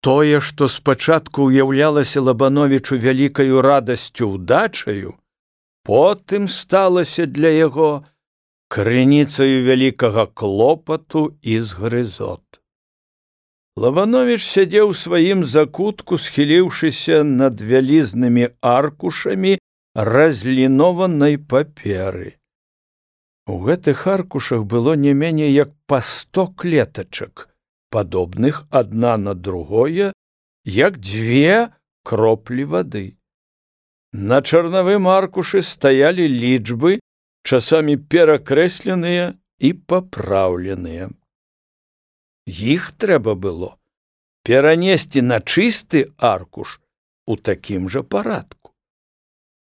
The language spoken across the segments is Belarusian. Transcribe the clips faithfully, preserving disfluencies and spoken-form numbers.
Тое, што спачатку ўяўлялася Лабановічу вялікаю радасцю ўдачаю, потым сталася для яго крыніцаю вялікага клопату і згрызот. Лабановіч сядзеў у сваім закутку, схіліўшыся над вялізнымі аркушамі разлінованай паперы. У гэтых аркушах было не меней як па сто клетачак, падобных адна на другое, як дзве кроплі вады. На чарнавым аркушы стаялі лічбы, часамі перакрэсленыя і папраўленыя. Іх трэба было перанесці на чысты аркуш у такім жа парадку.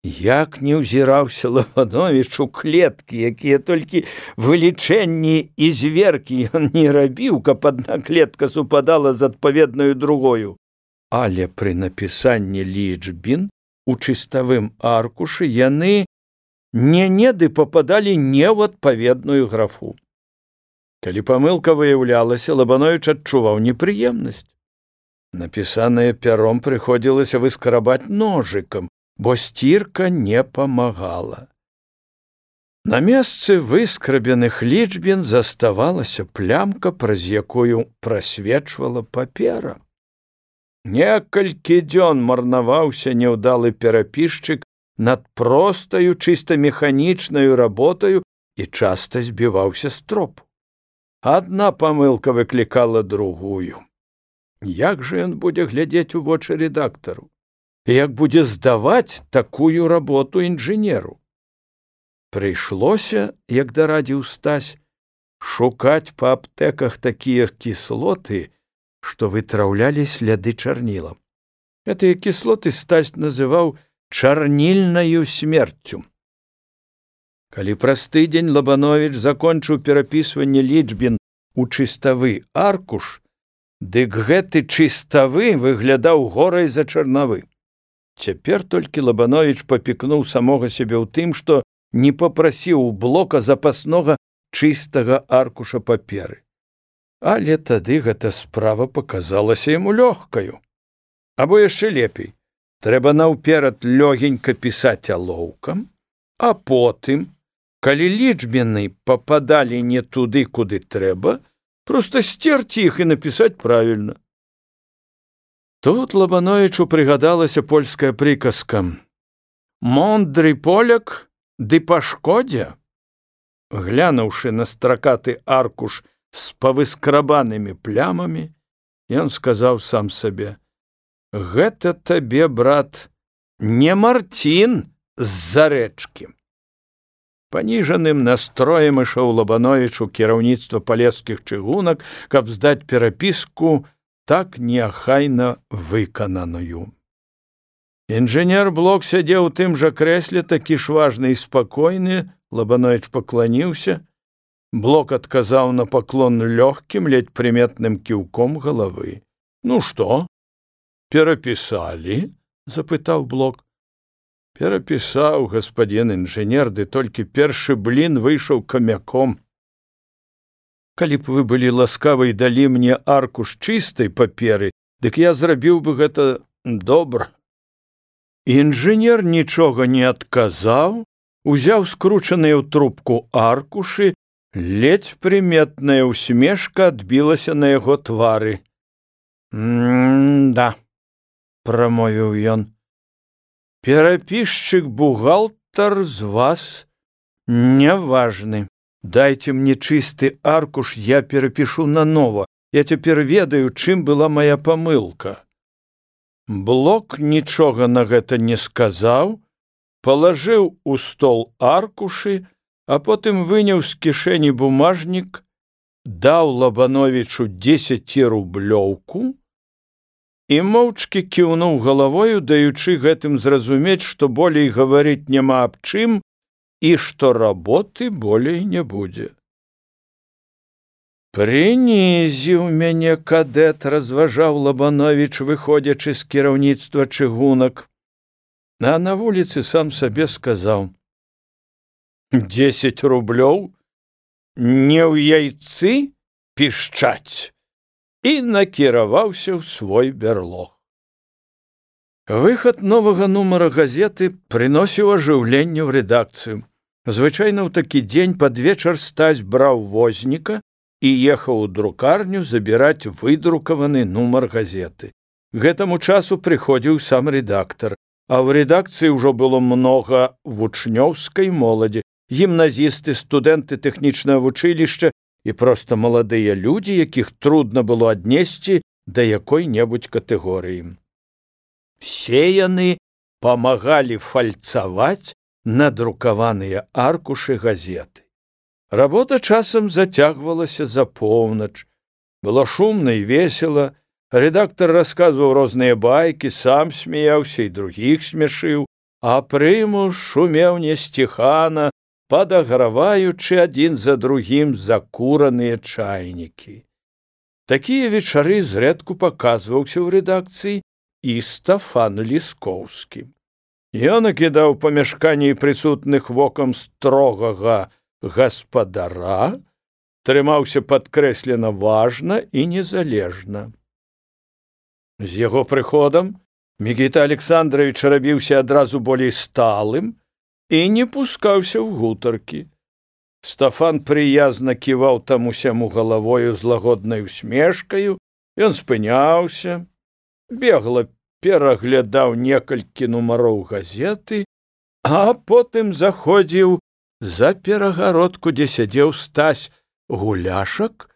Як не ўзіраўся Лабановіч у клеткі, якія толькі вылічэнні і зверкі ён не рабіў, каб адна клетка супадала з адпаведнаю другою. Але пры напісанні лічбін у чыставым аркушы яны не-неды пападалі не ў адпаведную графу. Калі памылка выяўлялася, Лабановіч адчуваў непрыемнасць. Напісанае пяром прыходзілася выскрабаць ножыкам, бо сцірка не памагала. На месцы выскрабеных лічбін заставалася плямка, праз якую прасвечвала папера. Некалькі дзён марнаваўся няўдалы перапісчык над простаю, чыста механічнаю работаю і часта збіваўся з тропу. Адна памылка выклікала другую. Як жа ён будзе глядзець у вочы рэдактару? Як будзе здаваць такую работу інжынеру? Прыйшлося, як дарадзіў Стась, шукаць па аптэках такія кіслоты, што вытраўлялі сляды чарнілам. Гэтыя кіслоты Стась называў чарнільнаю смерцю. Калі праз тыдзень Лабановіч закончыў перапісванне лічбін у чыставы аркуш, дык гэты чыставы выглядаў горай за чарнавы. Цяпер толькі Лабановіч папікнуў самога сябе ў тым, што не папрасіў у Блока запаснога чыстага аркуша паперы. Але тады гэта справа паказалася яму лёгкаю. Або яшчэ лепей, трэба наўперад лёгенька пісаць алоўкам, а потым, калі лічбіны пападалі не туды, куды трэба, проста сцерці іх і напісаць правільна. Тут Лабановічу прыгадалася польская прыказка «Мондры поляк, ды па шкодзе». Глянуўшы на стракаты аркуш з павыскрабанымі плямамі, ён сказаў сам сабе: «Гэта табе, брат, не Марцін з-за рэчкі». Паніжаным настроем ішоў Лабановіч у кіраўніцтва палескіх чыгунак, каб здаць перапіску так неахайна выкананую. Інжынер Блок сядзеў у тым жа крэсле, такі ж важны і спакойны. Лабановіч пакланіўся. Блок адказаў на паклон лёгкім, ледзь прыметным кіўком галавы. «Ну што, перапісалі?» – запытаў Блок. «Перапісаў, гаспадзін інжынер, ды толькі першы блін выйшаў камяком. Калі б вы былі ласкавы і далі мне аркуш чыстай паперы, дык я зрабіў бы гэта добра». Інжынер нічога не адказаў, узяў скручаныя ў трубку аркушы, ледзь прыметная усмешка адбілася на яго твары. «М-да», – прамовіў ён, – «перапісчык-бухгалтар з вас няважны. Дайце мне чысты аркуш, я перапішу нанова. Я цяпер ведаю, чым была мая памылка». Блок нічога на гэта не сказаў, палажыў у стол аркушы, а потым выняў з кішэні бумажнік, даў Лабановічу дзесяцірублёўку і моўчкі кіўнуў галавою, даючы гэтым зразумець, што болей гаварыць няма аб чым і што работы болей не будзе. «Прынізіў мяне кадэт», – разважаў Лабановіч, выходзячы з кіраўніцтва чыгунак. А на вуліцы сам сабе сказаў: «Дзесяць рублёў? Не ў яйцы пішчаць?» і накіраваўся ў свой бярлог. Выхад новага нумара газеты прыносіў ажыўленне ў рэдакцыю. Звычайна ў такі дзень пад вечар Стась браў возніка і ехаў у друкарню забіраць выдрукаваны нумар газеты. Гэтаму часу прыходзіў сам рэдактар, а ў рэдакцыі ўжо было многа вучнёўскай моладзі, гімназісты, студэнты тэхнічнага вучылішча і проста маладыя людзі, якіх трудна было аднесці да якой-небудзь катэгорыі. Все яны памагалі фальцаваць надрукаваныя аркушы газеты. Работа часам зацягвалася за поўнач. Было шумна і весела. Рэдактар расказваў розныя байкі, сам смяяўся і другіх смяшыў, а прымуш шумеў несціхана, падаграваючы адзін за другім закураныя чайнікі. Такія вечары зрэдку паказваўся ў рэдакцыі і Стафан Ліскоўскі. Ён акідаў памяшканні прысутных вокам строгага гаспадара, трымаўся падкрэслена важна і незалежна. З яго прыходам Мікіта Александрович рабіўся адразу болей сталым і не пускаўся ў гутаркі. Стафан прыязна ківаў таму-сяму галавою з лагоднай усмешкаю, ён спыняўся, бегла пераглядаў некалькі нумароў газеты, а потым заходзіў за перагародку, дзе сядзеў Стась Гуляшак,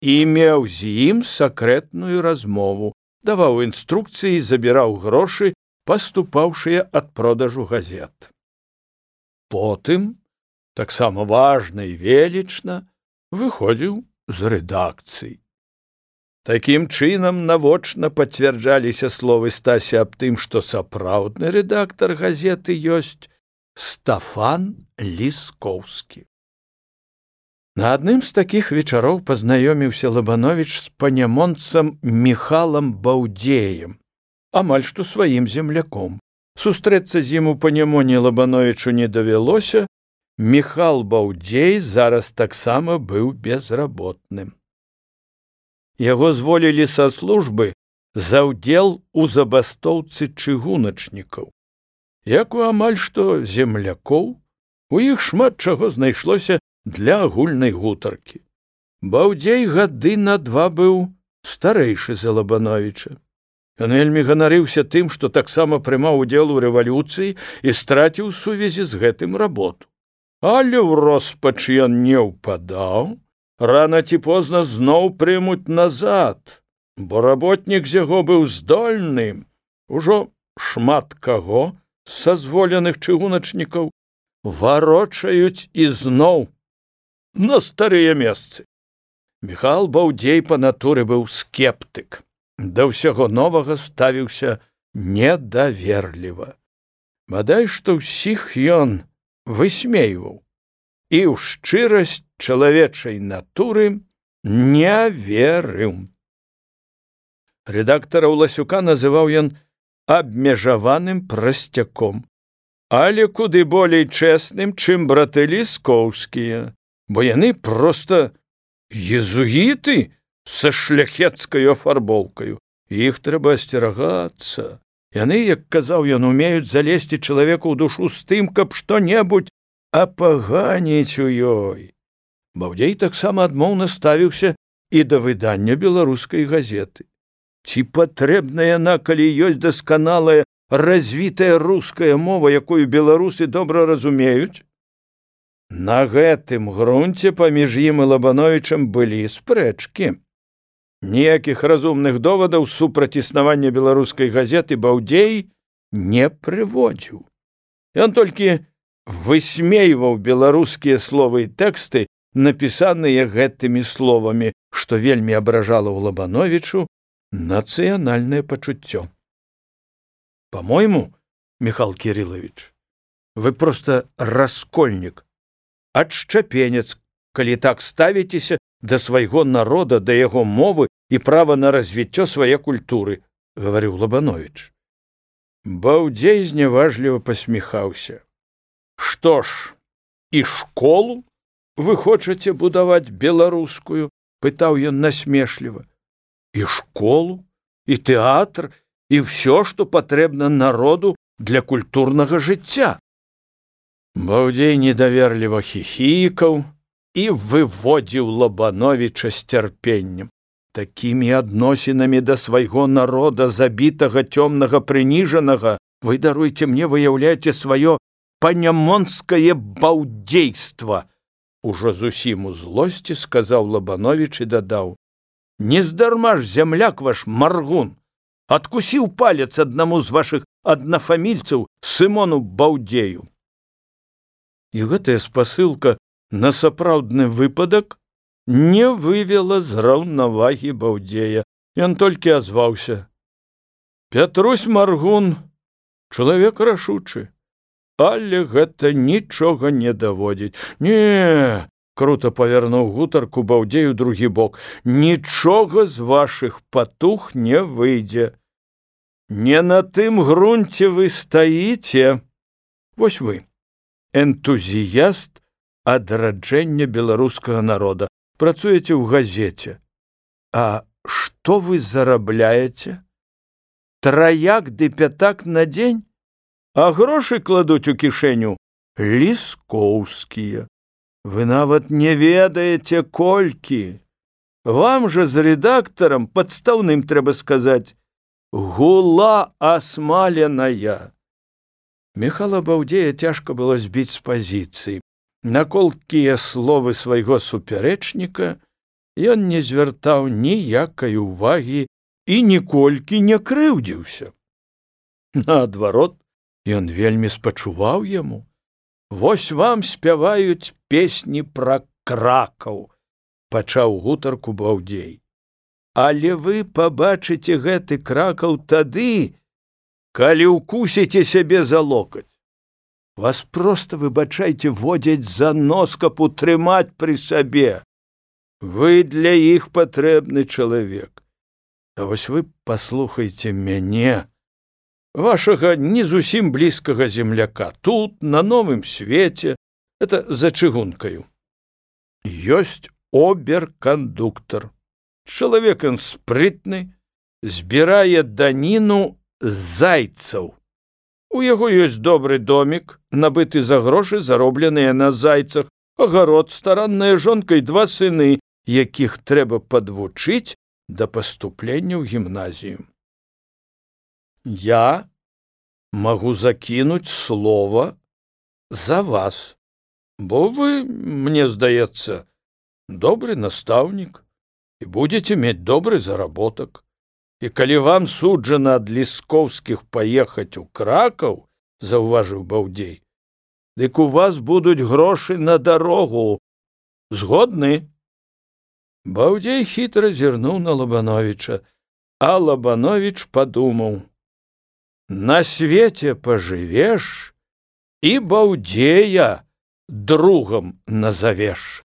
і меў з ім сакрэтную размову, даваў інструкцыі і забіраў грошы, паступаўшыя ад продажу газет. Потым, таксама важна і велічна, выходзіў з рэдакцыі. Такім чынам навочна пацвярджаліся словы Стася аб тым, што сапраўдны рэдактар газеты ёсць Стафан Ліскоўскі. На адным з такіх вечароў пазнаёміўся Лабановіч з панямонцам Міхалам Баўдзеем, амаль што сваім земляком. Сустрэцца з ім у Панямоне Лабановічу не давялося, Міхал Баўдзей зараз таксама быў безработным. Яго зволілі са службы за ўдзел у забастоўцы чыгуначнікаў. Як у амаль што землякоў, у іх шмат чаго знайшлося для агульнай гутаркі. Баўдзей гады на два быў старэйшы за Лабановіча. Ён вельмі ганарыўся тым, што таксама прымаў удзел у рэвалюцыі і страціў сувязі з гэтым работу. Але ў роспач ён не ўпадаў, рана ці позна зноў прымуць назад, бо работнік з яго быў здольны. Ужо шмат каго з сазволеных чыгуначнікаў варочаюць ізноў на старыя месцы. Міхал Баўдзей па натуры быў скептык. Да ўсяго новага ставіўся недаверліва. Бадай што ўсіх ён высмейваў і ў шчырасць чалавечай натуры не верыў. Рэдактара Ўласюка называў ён абмежаваным прасцяком, але куды болей чэсным, чым браты Ліскоўскія, бо яны проста езуіты са шляхецкаю афарбоўкаю. Іх трэба асцерагацца. Яны, як казаў ён, умеюць залезці чалавеку ў душу з тым, каб што-небудзь апаганіць у ёй. Баўдзей таксама адмоўна ставіўся і да выдання беларускай газеты. Ці патрэбна яна, калі ёсць дасканалая, развітая руская мова, якую беларусы добра разумеюць? На гэтым грунце паміж ім і Лабановічам былі спрэчкі. Ніякіх разумных довадаў супраць існавання беларускай газеты Баўдзей не прыводзіў. Ён толькі высмейваў беларускія словы і тэксты, напісаныя гэтымі словамі, што вельмі абражала ў Лабановічу нацыянальнае пачуццё. По-мойму, Михал Кириллович, вы просто раскольнік, адшчапенец, калі так ставіцеся да свайго народа, да яго мовы і права на развіццё свае культуры, гаварыў Лабанович. Баўдзей зняважліва пасміхаўся. Што ж, і школу вы хочаце будаваць беларускую? Пытаў ён насмешліва. і школу, і тэатр, і ўсё, што патрэбна народу для культурнага жыцця. Баўдзей недаверліва хіхікаў і выводзіў Лабановіча з цярпеннем. Такімі адносінамі да свайго народа, забітага, цёмнага, прыніжанага, вы, даруйце мне, выяўляеце сваё панямонскае баўдзейства. Ужо зусім у злосці сказаў Лабановіч і дадаў: нездарма ж зямляк ваш Маргун адкусіў палец аднаму з вашых аднафамільцаў, Сымону Баўдзею. І гэтая спасылка на сапраўдны выпадак не вывела з раўнавагі Баўдзея. Ён толькі азваўся: Пятрусь Маргун чалавек рашучы, але гэта нічога не даводзіць. Не, круто павярнуў гутарку Баўдзею другі бок, нічога з вашых патух не выйдзе. Не на тым грунце вы стаіце. Вось вы, энтузіяст адраджэння беларускага народа, працуеце ў газеце. А што вы зарабляеце? Траяк ды пятак на дзень? А грошы кладуць у кішэню ліскоўскія. Вы нават не ведаеце, колькі. Вам жа з рэдактарам, падстаўным, трэба сказаць, гула асмаленая. Міхала Баўдзея цяжка было збіць з пазіцыі. На колкія словы свайго супярэчніка ён не звяртаў ніякай увагі і ніколькі не крыўдзіўся. Наадварот, ён вельмі спачуваў яму. Вось вам спяваюць песні пра Кракаў, пачаў гутарку Баўдзей. Але вы пабачыце гэты Кракаў тады, калі ўкусіце сябе за локаць. Вас проста, выбачайце, водзяць за нос, каб утрымаць пры сабе. Вы для іх патрэбны чалавек. А вось вы паслухайце мяне, вашага не зусім блізкага земляка, тут, на новым свеце, это за чыгункаю. Ёсць оберкандуктар. Чалавек ён спрытны, збірае даніну з зайцаў. У яго ёсць добры домік, набыты за грошы, заробленыя на зайцах, агарод, старанная жонка і два сыны, якіх трэба падвучыць да паступлення ў гімназію. Я магу закінуць слова за вас, бо вы, мне здаецца, добры настаўнік і будзеце мець добры заработак. І калі вам суджана ад ліскоўскіх паехаць у Кракаў, заўважыў Баўдзей, дык у вас будуць грошы на дарогу. Згодны? Баўдзей хітра зірнуў на Лабановіча, а Лабановіч падумаў: на свеце пажывеш і Баўдзея другам назавеш.